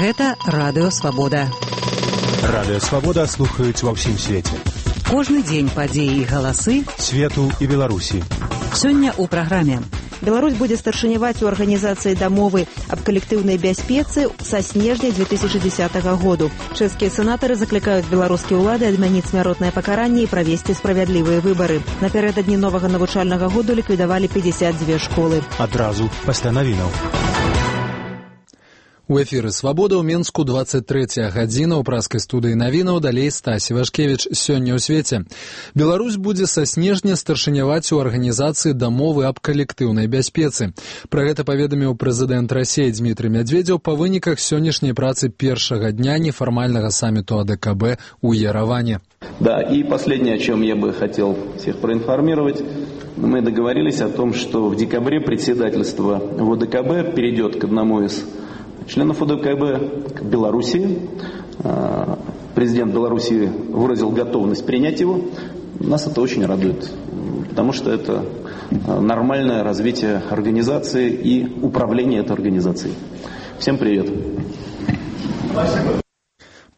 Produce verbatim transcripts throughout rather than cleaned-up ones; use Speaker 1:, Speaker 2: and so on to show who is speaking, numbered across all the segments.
Speaker 1: Гэта Радыё Свабода.
Speaker 2: Радыё Свабода слухаюць ва ўсім свеце.
Speaker 1: Кожны дзень падзеі і галасы
Speaker 2: свету і Беларусі.
Speaker 1: Сёння ў праграме.
Speaker 3: Беларусь будзе старшыняваць у арганізацыі дамовы аб калектыўнай бяспецы са снежня две тысячи десятого году. Чэшскія сенатары заклікаюць беларускія ўлады адмяніць смяротнае пакаранне і правесці справядлівыя выбары. Напярэдадні новага навучальнага году ліквідавалі пятьдесят две школы.
Speaker 2: Адразу пасля навінаў.
Speaker 4: У эфіры «Свабода» ў Менску двадцать третья гадзіна ў праскай студыі навінаў, далей Стасі Вашкевіч. Сёння ў свеце. Беларусь будзе са снежня старшыняваць у арганізацыі дамовы аб калектыўнай бяспецы. Пра гэта паведаміў прэзідэнт Расіі Дмітрый Медведзеў па выніках сённяшняй працы першага дня нефармальнага саммиту А Дэ Ка Бэ у Ереване.
Speaker 5: Да, и последнее, о чем я бы хотел всех проинформировать. Мы договорились о том, что в декабре председательство в О Дэ Ка Бэ перейдет к одному из членов О Дэ Ка Бэ, к Белоруссии. Президент Белоруссии выразил готовность принять его. Нас это очень радует, потому что это нормальное развитие организации и управление этой организацией. Всем привет. Спасибо.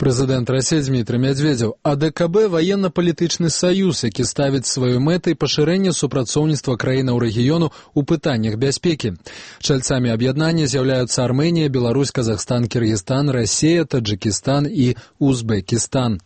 Speaker 4: Прэзідэнт Расіі Дмітрый Медведзеў. А Дэ Ка Бэ – ваенна-палітычны саюз, які ставіць сваёй мэтай пашырэнне супрацоўніцтва краінаў рэгіёну ў пытаннях бяспекі. Чальцамі аб'яднання з'яўляюцца Арменія, Беларусь, Казахстан, Кыргызстан, Расія, Таджикістан і Узбекістан.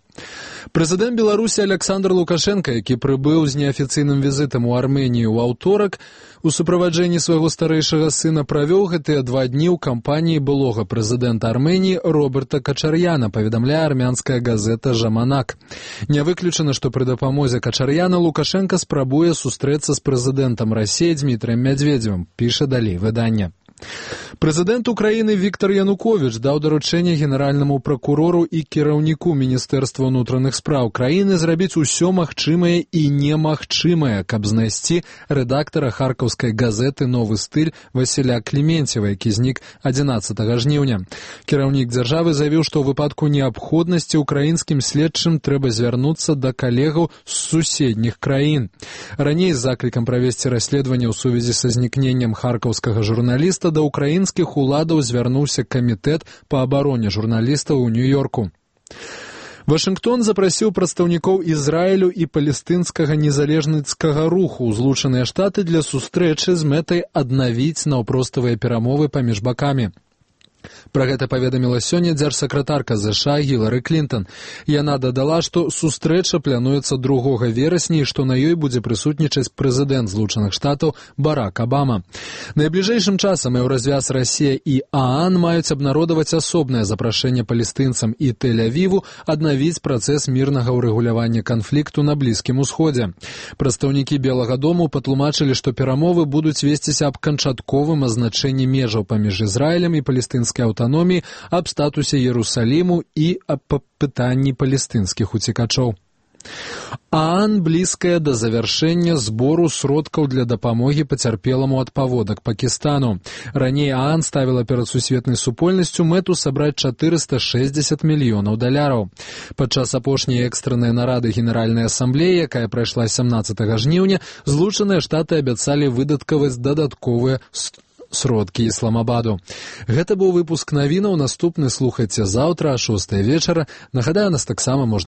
Speaker 4: Прэзідэнт Беларусі Александр Лукашенко, які прыбыў з неафіцыйным візітам у Арменію ў аўторак, у суправаджэнні свайго старэйшага сына правёў гэтыя два дні ў кампаніі былога прэзідэнта Арменіі Роберта Качар'яна, паведамляе армянская газета «Жаманак». Не выключана, што пры дапамозе Качар'яна Лукашенко спрабуе сустрэцца з прэзідэнтам Расіі Дмітрыем Медведзевым, піша далей выданне. Прэзідэнт Украіны Віктор Януковіч даў даручэнне генеральнаму пракурору і кіраўніку Міністэрства ўнутраных спраў краіны зрабіць усё магчымае і немагчымае, каб знайсці рэдактара харкаўскай газеты «Новы стыль» Васіля Кліменцева, які знік адзінаццатага жніўня. Кіраўнік дзяржавы заявіў, што ў выпадку неабходнасці украінскім следчым трэба звярнуцца да калегаў з суседніх краін. Раней з заклікам правесці расследаванне ў сувязі са знікненнем харкаўскага журналіста да украінскіх уладаў звярнуўся камітэт па абароне журналістаў у Нью-Йорку. Вашынгтон запрасіў прадстаўнікоў Ізраілю і палестынскага незалежніцкага руху ў Злучаныя Штаты для сустрэчы з мэтай аднавіць наўпроставыя перамовы паміж бакамі. Пра гэта паведаміла сёння дзяржсакратарка ЗША Гілары Клінтон. Яна дадала, што сустрэча плануецца другога верасня і што на ёй будзе прысутнічаць прэзідэнт Злучаных Штатаў Барак Абама. Найбліжэйшым часам Еўразвяз, Расія і ААН маюць абнародаваць асобнае запрашэнне палестынцам і Тель-Авіву аднавіць працэс мірнага ўрэгулявання канфлікту на Блізкім Усходзе. Прадстаўнікі Белага дому патлумачылі, што перамовы будуць весціся аб канчатковым азначэнні межаў паміж Ізраілем і палестынскай аўтаноміі, аб статусе Иерусалиму і аб пытанні палестынскіх уцекачоў. ААН блізкая да завяршэння збору сродкаў для дапамогі пацярпеламу ад паводак Пакістану. Раней ААН ставіла перад сусветнай супольнасцю мэту сабраць чатырыста шэсцьдзесят мільёнаў даляраў. Падчас апошняй экстраннай нарады Генеральнай асамблеі, якая прайшла сямнаццатага жніўня, Злучаныя Штаты абяцалі выдаткаваць дадатковыя сродкі Ісламабаду. Гэта быў выпуск навінаў. Наступны слухайце заўтра о шостай вечара. Нагадаю, нас таксама можна